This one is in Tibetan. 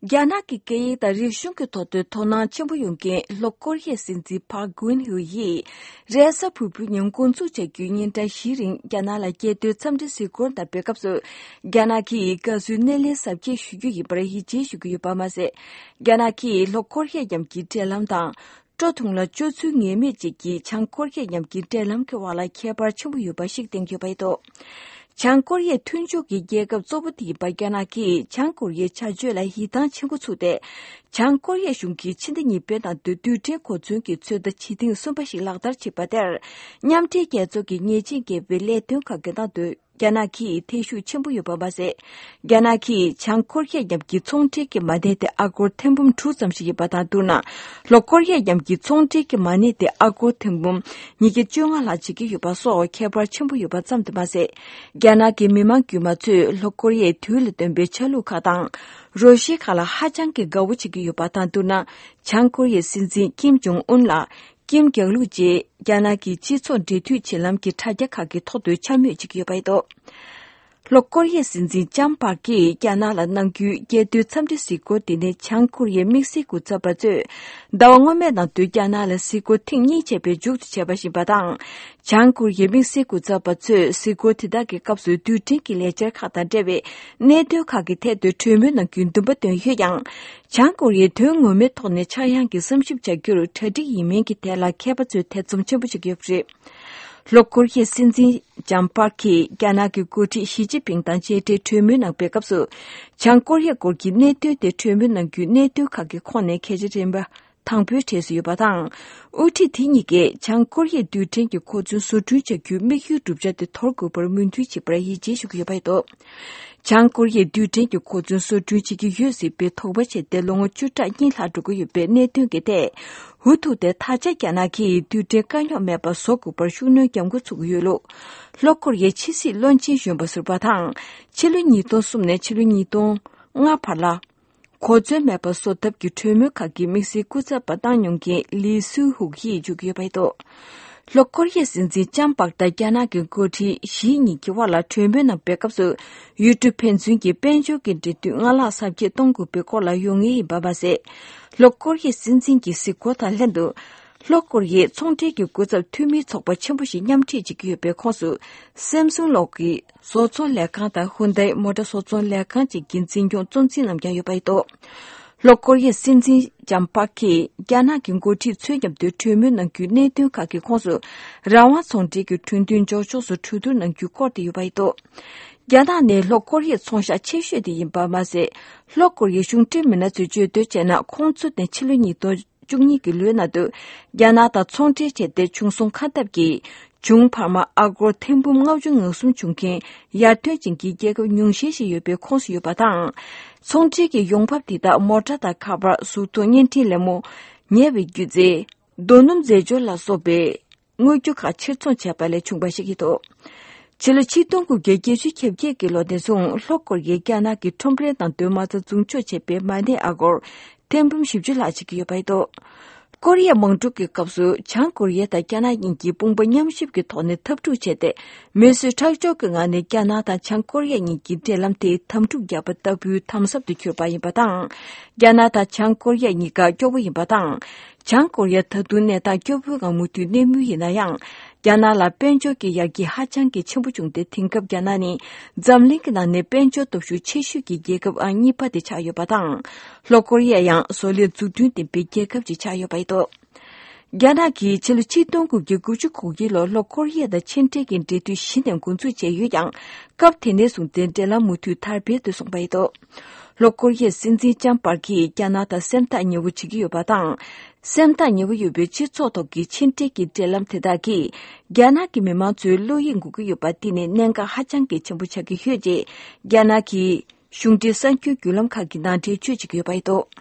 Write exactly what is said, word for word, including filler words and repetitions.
རྒྱ་ནག་གི་སྐད་ཡིག་དང་རིག་གཞུང་གི་ཐོག་ཏུ་དོ་སྣང་ཆེན་པོ་ཡོང་མཁན་ལྷོ་ཀོ་རི་ཡའི་སྲིད་འཛིན་ཕཱག་གུན་ཧུ་ཡིས་རེས་གཟའ་ཕུར་བུའི་ཉིན་འགོ་འཛུགས་བྱ་རྒྱུའི་ཉིན་གྲངས་བཞིའི་རིང་རྒྱ་ནག་ལ་རྒྱལ་དོན་འཚམས་འདྲི་གཟིགས་སྐོར་དང་འབྲེལ་སྐབས་སུ། རྒྱ་ནག་གིས་དགའ་བསུའི་སྣེ་ལེན་གཟབ་རྒྱས་ཞུ་རྒྱུ་ཡིན་པར་ཡིད་ཆེས་ཞུ་གི་ཡོད་པ་མ་ཟད། རྒྱ་ནག་གིས་ལྷོ་ཀོ་རི་ཡ་མཉམ་གྱི་འབྲེལ་ལམ་དང་། སྤྲོ་ཐུང་ལ་སྤྱོད་ཚུལ་ངེས་མེད་ཅིག་གིས་བྱང་ཀོ་རི་ཡ་མཉམ་གྱི་འབྲེལ་ལམ་གྱི་དབར་ལ་ཁྱད་པར་ཆེན་པོ་ཡོད་པ་ཞིག་བསྟན་ཡོད་པ་རེད་འདུག། བྱང་ཀོ་རི་ཡའི་མཐུན་ཕྱོགས་ཀྱི་རྒྱལ་ཁབ་གཙོ་བོ་དེ་ཡིན་པ་རྒྱ་ནག་གིས་བྱང་ཀོ་རི་ཡའི་བྱ་སྤྱོད་ལ་ཡིད་ཐང་ཆེན་པོ་ཚུགས་ཏེ། བྱང་ཀོ་རི་ཡ་གཞུང་གིས་ཕྱི་ཟླ་གཉིས་པའི་ནང་དུ་རྡུལ་ཕྲན་གོ་མཚོན་གྱི་ཚོད་ལྟ་བྱེད་ཐེངས་གསུམ་པ་ཞིག་ལག་བསྟར་བྱས་པ་དེར། མཉམ་འབྲེལ་རྒྱལ་ཚོགས་ཀྱི་ཉེས་ཆད་འགེལ་བའི་ལས་དོན་ཁག་གི་ནང་དུ། རྒྱ་ནག་གིས་ཐེ་ཞུགས་ཆེན་པོ་ཡོད་པ་མ་ཟད། རྒྱ་ནག་གིས་བྱང་ཀོ་རི་ཡ་མཉམ་གྱི་ཚོང་འབྲེལ་གྱི་མ་གནས་དེ་ཨ་སྒོར་ཐེར་འབུམ་དྲུག་ཙམ་ཞིག་ཡིན་པ་དང་བསྡུར་ན། ལྷོ་ཀོ་རི་ཡ་མཉམ་གྱི་ཚོང་འབྲེལ་གྱི་མ་གནས་དེ་ཨ་སྒོར་ཐེར་འབུམ་ཉིས་བརྒྱ་བཅོ་ལྔ་ལྷག་བྱེད་ཀྱི་ཡོད་པ་སོགས་ཁྱད་པར་ཆེན་པོ་ཡོད་པ་ཙམ་དུ་མ་ཟད། རྒྱ་ནག་གི་མི་མང་དཀྱུས་མ་ཚོས་ལྷོ་ཀོ་རི་ཡའི་དུས་ལ་བཏོན་པའི་ཆ་ལུགས་ཁག་དང་། རོ་ཤི་ཁག་ལ་ཧ་ཅང་གི་དགའ་བོ་བྱེད་ཀྱི་ཡོད་པ་དང་བསྡུར་ན། བྱང་ཀོ་རི་ཡའི་སྲིད་འཛིན་ཀིམ་ཇོང་ཨུན་ལ། ཀིམ་རྒྱག་ལུགས་བཅས་རྒྱ་ནག་གི་སྤྱི་ཚོགས་འབྲེལ་མཐུད་བྱེད་ལམ་གྱི་དྲ་རྒྱ་ཁག་གི་ཐོག་ཏུ་འཕྱ་སྨོད་བྱེད་ཀྱི་ཡོད་པ་རེད་འདུག། ལྷོ་ཀོ་རི་ཡའི་སྲིད་འཛིན་ལྕམ་པཱར་ཀྱིས་རྒྱ་ནག་ལ་གནང་རྒྱུའི་རྒྱལ་དོན་འཚམས་འདྲི་གཟིགས་སྐོར་དེ་ནི་བྱང་ཀོ་རི་ཡའི་དམིགས་བསལ་སྐུ་ཚབ་པ་ཚོས་ཟླ་བ་སྔོན་མའི་ནང་དུ་རྒྱ་ནག་ལ་གཟིགས་སྐོར་ཐེངས་གཉིས་བྱས་པའི་མཇུག་ཏུ་བྱས་པ་ཡིན་པ་དང་། བྱང་ཀོ་རི་ཡའི་དམིགས་བསལ་སྐུ་ཚབ་པ་ཚོས་གཟིགས་སྐོར་དེ་དག་གི་སྐབས་སུ་རྡུལ་ཕྲན་གྱི་ལས་འཆར་ཁག་དང་འབྲེལ་བའི་གནད་དོན་ཁག་གི་ཐད་དུ་གྲོས་མོལ་གནང་རྒྱུའི་འདུན་པ་བཏོན་ཡོད་ཀྱང་། བྱང་ཀོ་རི་ཡས་དོན་ངོ་མའི་ཐོག་ནས་ཆག་ཡང་གི་བསམ་ཞིབ་བྱ་རྒྱུར་གྲ་སྒྲིག་ཡིན་མིན་གྱི་ཐད་ལ་མཁས་པ་ཚོས་ཐེ་ཚོམ་ཆེན་པོ་བྱེད་ཀྱི་ཡོད་པ་རེད། ལྷོ་ཀོ་རི་ཡའི་སྲིད་འཛིན་ལྕམ་པཱར་གྱིས་རྒྱ་ནག་གི་འགོ་ཁྲིད་ཞི་ཅིན་ཕིང་དང་མཇལ་འཕྲད་གྲོས་མོལ་གནང་པའི་སྐབས་སུ། བྱང་ཀོ་རི་ཡ་སྐོར་གྱི་གནད་དོན་དེ་གྲོས་མོལ་གནང་རྒྱུའི་གནད་དོན་ཁག་གི་ཁོངས་ནས་གལ་ཆེ་རིམ་པ་དང་པོའི་གྲས་སུ་ཡོད་པ་དང་། དབུ་ཁྲིད་དེ་གཉིས་ཀས་བྱང་ཀོ་རི་ཡའི་རྡུལ་ཕྲན་གྱི་གོ་མཚོན་བཟོ་སྐྲུན་བྱ་རྒྱུའི་དམིགས་ཡུལ་བསྒྲུབ་བྱ་དེ་དོར་དགོས་པར་མོས་མཐུན་བྱས་པར་ཡིད་ཆེས་ཞུ་གི་ཡོད་པ་རེད་འདུག། བྱང་ཀོ་རི་ཡས་རྡུལ་ཕྲན་གྱི་གོ་མཚོན་བཟོ་སྐྲུན་བྱེད་ཀྱི་ཡོད་སྲིད་པའི་དོགས་པ་བྱས་ཏེ་ལོ་ངོ་བཅུ་ཕྲག་གཉིས་ལྷག་འགྲོ་གི་ཡོད་པའི་གནད་དོན་གྱི་ཐད། འུ་ཐུག་སྟེ་ད་ཆ་རྒྱ་ནག་གིས་རྡུལ་ཕྲན་དཀའ་རྙོག་མེད་པར་བཟོ་དགོས་པར་ཤུགས་སྣོན་རྒྱག་འགོ་ཚུགས་ཀྱི་ཡོད་ལུགས། ལྷོ་ཀོ་རི་ཡའི་ཕྱི་སྲིད་བློན་ཆེན་གཞོན་པ་ཟུར་པ་དང་། ཕྱི་ལོ་ཉིས་སྟོང་གསུམ་ནས་ཕྱི་ལོ་ཉིས་སྟོང་ལྔ་བར་ལ། གོ་མཚོན་མེད་པར་བཟོ་ཐབས་ཀྱི་གྲོས་མོལ་ཁག་གི་དམིགས་བསལ་སྐུ་ཚབ་པ་བཏང་མྱོང་མཁན་ལི་སུའུ་ཧུག་ཡིས་བརྗོད་ཀྱི་ཡོད་པ་རེད་འདུག། ལྷོ་ཀོ་རི་ཡའི་སྲིད་འཛིན་ལྕམ་པག་དང་རྒྱ་ནག་གི་འགོ་ཁྲིད་ཞི་གཉིས་ཀྱི་དབར་ལ་གྲོས་མོལ་གནང་པའི་སྐབས་སུ། ཡུལ་གྲུ་ཕན་ཚུན་གྱི་དཔལ་འབྱོར་གྱི་འབྲེལ་མཐུད་སྔར་ལྷག་ཟབ་རྒྱས་གཏོང་དགོས་པའི་སྐོར་ལ་ཡོང་ངེས་ཡིན་པ་མ་ཟད། ལྷོ་ཀོ་རི་ཡའི་སྲིད་འཛིན་གྱི་གཟིགས་སྐོར་དང་ལྷན་དུ། ལྷོ་ཀོ་རི་ཡའི་ཚོང་འབྲེལ་གྱི་སྐུ་ཚབ་འཐུས་མིའི་ཚོགས་པ་ཆེན་པོ་ཞིག་མཉམ་འཁྲིད་བྱེད་ཀྱི་ཡོད་པའི་ཁོངས་སུ། སེམ་སུང་གློག་གི་བཟོ་ཚོང་ལས་ཁང་དང་ཧུན་དའི་མོ་ཊ་བཟོ་ཚོང་ལས་ཁང་བཅས་ཀྱི་འཛིན་སྐྱོང་གཙོ་འཛིན་རྣམས་ཀྱང་ཡོད་པ་རེད་འདུག། ལྷོ་ཀོ་རི་ཡའི་སྲིད་འཛིན་ལྕམ་པག་གིས་རྒྱ་ནག་གི་འགོ་ཁྲིད་ཚོའི་མཉམ་དུ་གྲོས་མོལ་གནང་རྒྱུའི་གནད་དོན་ཁག་གི་ཁོངས་སུ། རང་དབང་ཚོང་འབྲེལ་གྱི་གྲོས་མཐུན་འཇོག་ཕྱོགས་སུ་གྲོས་བསྡུར་གནང་རྒྱུའི་སྐོར་དེ་ཡོད་པ་རེད་འདུག། རྒྱ་ནག་ནི་ལྷོ་ཀོ་རི་ཡའི་ཚོང་ཤག་ཆེ་ཤོས་དེ་ཡིན་པ་མ་ཟད། ལྷོ་ཀོ་རི་ཡའི་གཞུང་འབྲེལ་མི་སྣ་ཚོས་བརྗོད་དོན་བྱས་ན། ཁོང་ཚོ་ནི་ཕྱི་ལོ་ཉིས་སྟོང་བཅུ་གཉིས་ཀྱི་ལོའི་ནང་དུ་རྒྱ་ནག་དང་ཚོང་འབྲེལ་བྱས་ཏེ། བྱུང་སོང་ཁ་འཐབ་ཀྱིས་བྱུང་འཕར་མ་ཨ་སྒོར་ཐེར་འབུམ་ལྔ་བཅུ་ང་གསུམ་བྱུང་མཁན་ཡར་ཐོན་ཅན་གྱི་རྒྱལ་ཁབ་ཉུང་ཤས་ཤིག་ཡོད་པའི་ཁོངས་སུ་ཡོད་པ་དང་། ཚོང་འབྲེལ་གྱི་ཡོང་འབབ་དེ་དག་མོ་ཊ་དང་ཁ་པར། གཟུགས་མཐོང་བརྙན་འཕྲིན་ལད་མོ། ཉེ་བའི་སྒྱུ་རྩལ། རྡོ་སྣུམ་རྫས་སྦྱོར་ལ་སོགས་པའི་དངོས་རྒྱུ་ཁག་ཕྱིར་ཚོང་བྱས་པ་ལས་བྱུང་བ་ཞིག་ཡིན་འདུག། ཕྱི་ལོ་ཆིག་སྟོང་དགུ་བརྒྱ་བརྒྱད་ཅུ་གྱ་བརྒྱད་ཀྱི་ལོ་ནས་བཟུང་ལྷོ་ཀོ་རི་ཡས་རྒྱ་ནག་གི་ཁྲོམ་རའི་ནང་དུ་མ་རྩ་འཛུགས་འཇོག་བྱས་པའི་མ་གནས་ཨ་སྒོར་ཐེར་འབུམ་བཞི་བཅུ་ལྷག་ཅིག་ཡོད་པ་རེད་འདུག། ཀོ་རི་ཡ་དམག་འཁྲུག་གི་སྐབས་སུ་བྱང་ཀོ་རི་ཡ་དང་རྒྱ་ནག་གཉིས་ཀྱིས་དཔུང་པ་མཉམ་གཤིབ་ཀྱི་ཐོག་ནས་འཐབ་འཁྲུག་བྱས་ཏེ། མི་གསོད་ཁྲག་སྦྱོར་གྱི་ངང་ནས་རྒྱ་ནག་དང་བྱང་ཀོ་རི་ཡ་གཉིས་ཀྱི་འབྲེལ་ལམ་དེ་དམ་འཁྲུག་བརྒྱབ་པ་ལྟ་བུའི་དམ་ཟབ་ཏུ་གྱུར་པ་ཡིན་པ་དང་། རྒྱ་ནག་དང་བྱང་ཀོ་རི་ཡ་གཉིས་ཀ་སྐྱོ་བོ་ཡིན་པ་དང་། བྱང་ཀོ་རི་ཡ་ད་དུང་གནས་སྟངས་སྐྱོ་བོའི་ངང་མུ་མཐུད་གནས་མུས་ཡིན་ན་ཡང་། རྒྱ་ནག་ལ་དཔལ་འབྱོར་གྱི་ཡར་རྒྱས་ཧ་ཅང་གི་ཆེན་པོ་བྱུང་སྟེ། དེང་སྐབས་རྒྱ་ནག་ནི་འཛམ་གླིང་གི་ནང་ནས་དཔལ་འབྱོར་སྟོབས་ཤུགས་ཆེ་ཤོས་ཀྱི་རྒྱལ་ཁབ་ཨང་གཉིས་པ་དེ་ཆགས་ཡོད་པ་དང་། ལྷོ་ཀོ་རི་ཡ་ཡང་བཟོ་ལས་འཛུགས་སྐྲུན་ལྡན་པའི་རྒྱལ་ཁབ་ཅིག་ཆགས་ཡོད་པ་རེད་འདུག། རྒྱ་ནག་གིས་ཕྱི་ལོ་ཆིག་སྟོང་དགུ་བརྒྱ་དགུ་བཅུ་གོ་དགུའི་ལོར་ལྷོ་ཀོ་རི་ཡ་དང་ཕྱི་འབྲེལ་གྱི་འབྲེལ་མཐུད་གཞི་ནས་འགོ་འཛུགས་བྱས་ཡོད་ཀྱང་། སྐབས་དེ་ནས་བཟུང་སྟེ་འབྲེལ་ལམ་མུ་མཐུད་དར་སྤེལ་དུ་སོང་བ་རེད་འདུག། ལྷོ་ཀོ་རི་ཡའི་སྲིད་འཛིན་ལྕམ་པར་གྱིས་རྒྱ་ནག་དང་སེམས་ཐག་ཉེ་བོ་བྱེད་ཀྱི་ཡོད་པ་དང་། སེམས་ཐག་ཉེ་བོ་ཡོད་པའི་སྤྱི་ཚོགས་ཐོག་གི་ཕྱི་འབྲེལ་གྱི་འབྲེལ་ལམ་དེ་དག་གིས། རྒྱ་ནག་གི་མི་མང་ཚོའི་བློ་ཡིད་འགུག་གི་ཡོད་པ་དེ་ནི་གནད་འགག་ཧ་ཅང་གི་ཆེན་པོ་ཆགས་ཀྱི་ཡོད་ཅེས། རྒྱ་ནག་གི་གཞུང་འབྲེལ་གསར་འགྱུར་བརྒྱུད་ལམ་ཁག་གི་ནང་འགྲེལ་བརྗོད་བྱེད་ཀྱི་ཡོད་པ་རེད་འདུག།